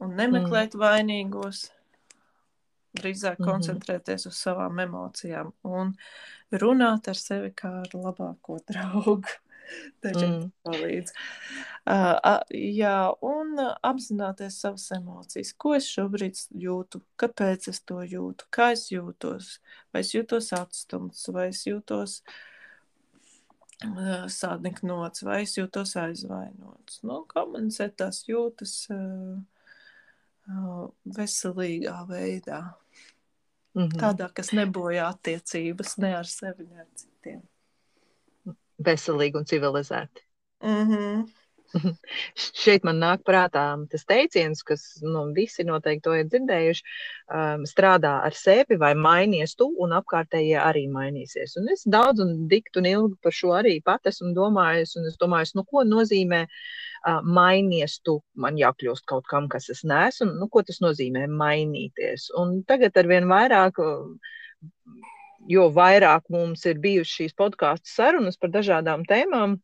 un Mm. nemeklēt vainīgos. Drīzāk Mhm. koncentrēties uz savām emocijām un runāt ar sevi kā ar labāko draugu. Dažiem Mm. palīdz. Uh, uh, jā, un uh, apzināties savas emocijas. Ko es šobrīd jūtu? Kāpēc es to jūtu? Kā es jūtos? Vai es jūtos atstumts? Vai es jūtos uh, sādniknots? Vai es jūtos aizvainots? Nu, komunicēt tās jūtas uh, uh, veselīgā veidā. Mhm. Tādā, kas nebojā attiecības ne ar sevi, ne ar citiem. Veselīgi un civilizēti. Mhm. Šeit man nāk prātā tas teiciens, kas nu, visi noteikti to ir dzirdējuši, um, strādā ar sevi vai mainies tu, un apkārtējie arī mainīsies. Un es daudz un dikti un ilgi par šo arī pat esmu domājis, un es domāju, nu, ko nozīmē uh, mainies tu, man jākļūst kaut kam, kas es neesmu, un nu, ko tas nozīmē mainīties. Un tagad arvien vairāk, jo vairāk mums ir bijušas šīs podkāstu sarunas par dažādām tēmām,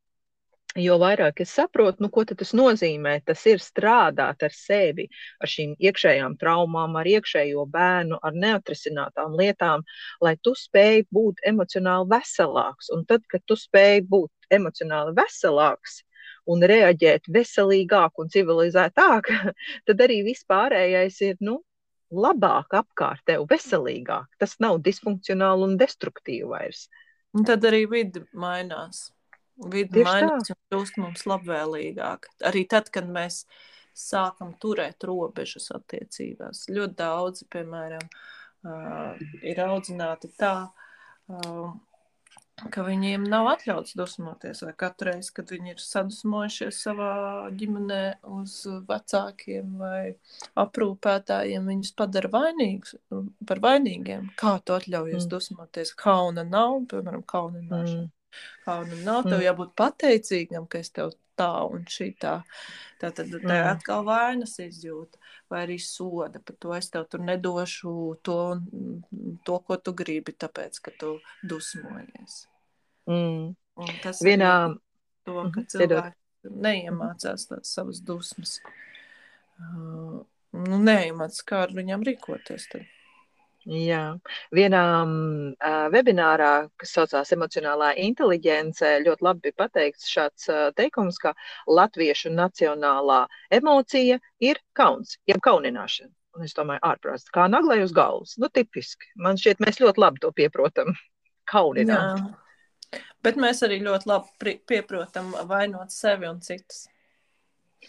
jo vairāk es saprotu, nu, ko tas nozīmē. Tas ir strādāt ar sevi, ar šīm iekšējām traumām, ar iekšējo bērnu, ar neatrisinātām lietām, lai tu spēj būt emocionāli veselāks. Un tad, kad tu spēj būt emocionāli veselāks un reaģēt veselīgāk un civilizētāk, tad arī vispārējais ir, nu, labāk apkārt tev, veselīgāk. Tas nav disfunkcionāli un destruktīvi vairs. Un tad arī vidi mainās. Vidi Tieši mainās tā. un kļūst mums labvēlīgāk. Arī tad, kad mēs sākam turēt robežas attiecībās. Ļoti daudzi, piemēram, uh, ir audzināti tā, uh, ka viņiem nav atļauts dusmoties, vai katru reizi, kad viņi ir sadusmojušies savā ģimenē uz vecākiem vai aprūpētājiem, viņus padara vainīgus, par vainīgiem. Kā tu atļaujies Mm. dusmoties? Kauna nav, piemēram, kaunināšana. Mm. Kauna nav, tev Mm. jābūt pateicīgam, ka es tev tā un šitā. Tātad te Mm. atkal vainas izjūta, vai arī soda par to, es tev tur nedošu to, to ko tu gribi, tāpēc, ka tu dusmojies. Mm. Un tas Vienā, arī to, ka mhm, cilvēki piedod. neiemācās tās savas dusmas. Uh, nu, neiemācās, kā ar viņām rīkoties tad. Jā, vienā uh, webinārā, kas saucās emocionālā inteliģence, ļoti labi bija pateikts šāds uh, teikums, ka latviešu nacionālā emocija ir kauns, jeb kaunināšana. Un es domāju, ārprāts, kā naglai uz galvas. Nu, tipiski. Man šķiet, mēs ļoti labi to pieprotam. Kaunināt. Jā, bet mēs arī ļoti labi pieprotam vainot sevi un citus.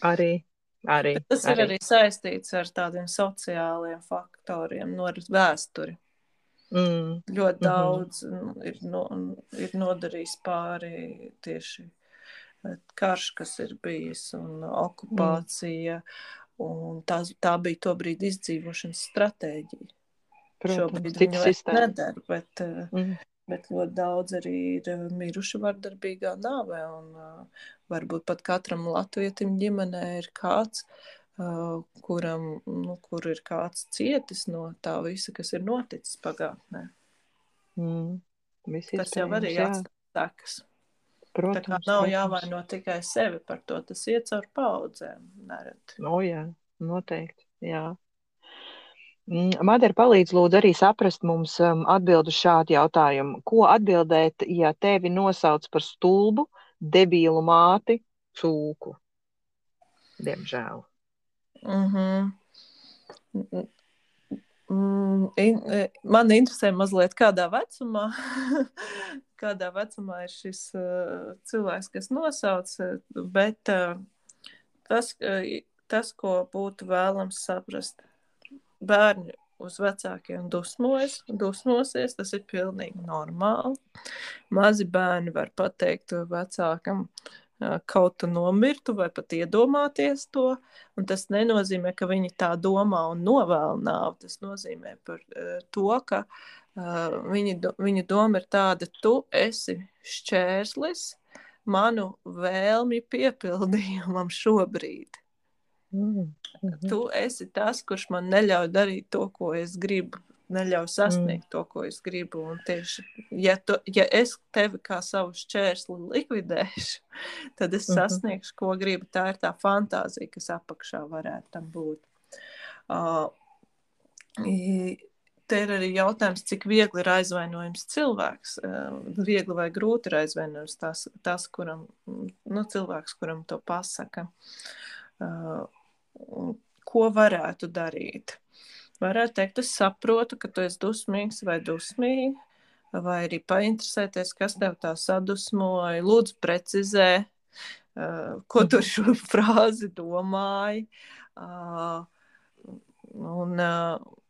Arī. Arī, bet tas arī. ir arī saistīts ar tādiem sociāliem faktoriem, no vēsturi. Mm. Ļoti Mm-hmm. daudz ir, no, ir nodarījis pāri tieši karš, kas ir bijis, un okupācija, mm. un tā, tā bija to brīdi izdzīvošanas stratēģija. Protams, šobrīd viņu vairs nedara, bet, mm. bet ļoti daudz arī ir miruši vardarbīgā nāvē, un uh, varbūt pat katram latvietim ģimenē ir kāds, uh, kuram, nu, kur ir kāds cietis no tā visa, kas ir noticis pagātnē. Mm. Tas jau arī atstāj sekas. Protams, tā kā nav protams. jāvaino tikai sevi par to, tas iet caur paudzēm nereti. O jā, noteikti, jā. Madara, palīdz lūdzu arī saprast mums um, atbildu šādu jautājumu. Ko atbildēt, ja tevi nosauc par stulbu, debīlu māti, cūku? Diemžēl. Mhm. Mm, in, man interesē mazliet, kādā vecumā, kādā vecumā ir šis uh, cilvēks, kas nosauc, bet uh, tas, uh, tas, ko būtu vēlams saprast, bērni uz vecākiem dusmojas, dusmosies, tas ir pilnīgi normāli. Mazi bērni var pateikt vecākam, kaut tu nomirtu vai pat iedomāties to, un tas nenozīmē, ka viņi tā domā un novēl nāvi. Tas nozīmē par uh, to, ka uh, viņi, viņa doma ir tāda, tu esi šķērslis manu vēlmi piepildījumam šobrīd. Mm. Mhm. Tu esi tas, kurš man neļauj darīt to, ko es gribu, neļauj sasniegt mm. to, ko es gribu. Un tieši, ja, tu, ja es tevi kā savu šķērsli likvidēšu, tad es Mhm. sasniegšu, ko gribu. Tā ir tā fantāzija, kas apakšā varētu tam būt. Uh, te ir arī jautājums, cik viegli ir aizvainojums cilvēks. Uh, viegli vai grūti ir aizvainojums tas, tas kuram, nu, cilvēks, kuram to pasaka. Uh, ko varētu darīt? Varētu teikt, es saprotu, ka tu esi dusmīgs vai dusmīgi, vai arī painteresēties, kas tev tā sadusmoja. Lūdzu, precizē, uh, ko tu šo frāzi domāji. Uh, un, uh,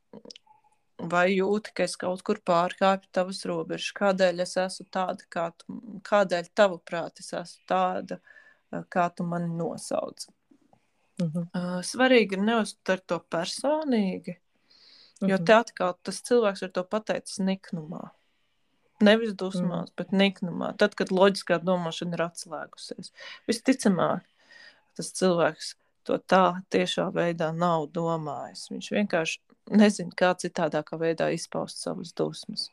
vai jūti, ka es kaut kur pārkāpju tavas robežas? Kādēļ es esmu tāda, kā tu, kādēļ tavuprāt es esmu tāda, kā tu mani nosauc? Mhm. Uh, svarīgi ir neuztvert to personīgi, jo Mhm. te atkal tas cilvēks ir to pateicis niknumā. Nevis dusmās, mm. bet niknumā. Tad, kad loģiskā domāšana ir atslēgusies. Visticamāk, tas cilvēks to tā tiešā veidā nav domājis. Viņš vienkārši nezina, kā citādākā veidā izpaust savas dusmas.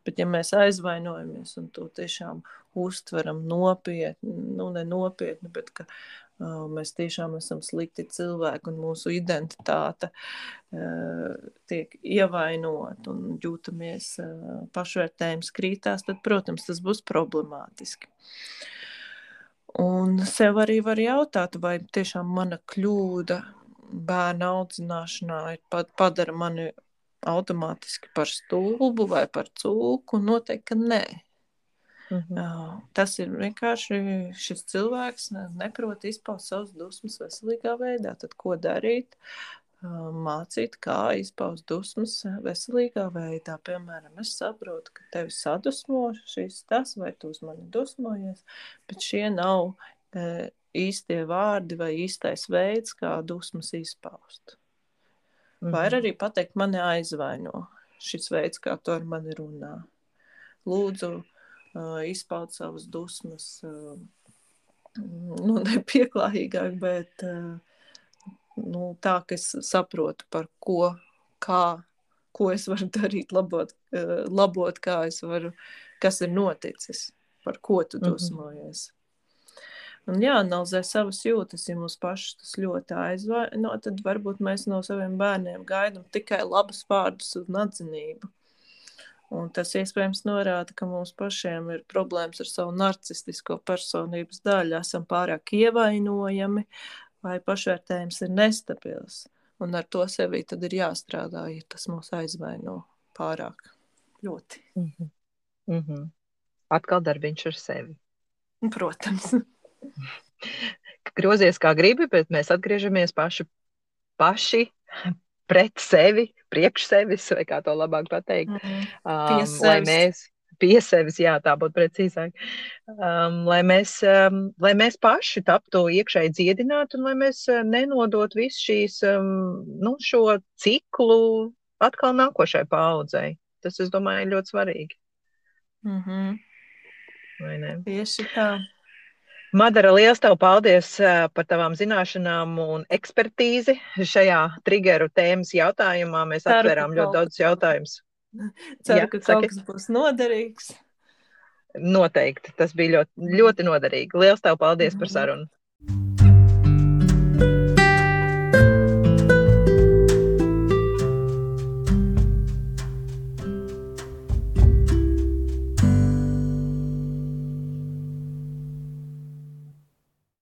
Bet ja mēs aizvainojamies un to tiešām uztveram nopietni, nu ne nopietni, bet ka uh, mēs tiešām esam slikti cilvēki un mūsu identitāte uh, tiek ievainot un jūtamies uh, pašvērtējums krītās, tad, protams, tas būs problemātiski. Un sev arī var jautāt, vai tiešām mana kļūda bērna audzināšanā ir padara mani automātiski par stulbu vai par cūku. Noteikti, ka nē. Mhm. Uh, tas ir vienkārši šis cilvēks neprot izpaust savas dusmas veselīgā veidā. Tad ko darīt? Uh, mācīt, kā izpaust dusmas veselīgā veidā. Piemēram, es saprotu, ka tevi sadusmo šis tas, vai tu uz mani dusmojies, bet šie nav uh, īstie vārdi vai īstais veids, kā dusmas izpaust. Mhm. Vai arī pateikt, mani aizvaino šis veids, kā tu ar mani runā. Lūdzu, uh, izpaut savas dusmas, uh, nu, nepieklājīgāk, bet uh, nu, tā, ka es saprotu, par ko, kā, ko es varu darīt, labot, uh, labot kā es varu, kas ir noticis, par ko tu dusmojies. Un jāanalizē savas jūtas, ja mūs pašas tas ļoti aizvaino, no, tad varbūt mēs no saviem bērniem gaidām tikai labus vārdus un atzinību. Un tas iespējams norāda, ka mums pašiem ir problēmas ar savu narcistisko personības daļu, esam pārāk ievainojami vai pašvērtējums ir nestabils. Un ar to sevī tad ir jāstrādā, ja tas mūs aizvaino pārāk ļoti. Mhm. Mhm. Atkal darbiņš ar sevi. Protams. Grozies kā gribi, bet mēs atgriežamies paši, paši pret sevi, priekš sevis, vai kā to labāk pateikt. Mm, um, lai mēs pie sevis, jā, tā būtu precīzāk, um, lai, mēs, um, lai mēs paši taptu iekšēji dziedināti un lai mēs uh, nenodot visu šīs, um, nu, šo ciklu atkal nākošai paaudzei. Tas, es domāju, ir ļoti svarīgi. Mm-hmm. Vai ne? Tieši tā. Madara, liels tev paldies par tavām zināšanām un ekspertīzi šajā triggeru tēmas jautājumā. Mēs Ceru, atvērām ļoti daudz jautājumus. Ceru, Jā, ka saki. Kaut kas būs noderīgs. Noteikti. Tas bija ļoti, ļoti noderīgi. Liels tev paldies mm-hmm. par sarunu.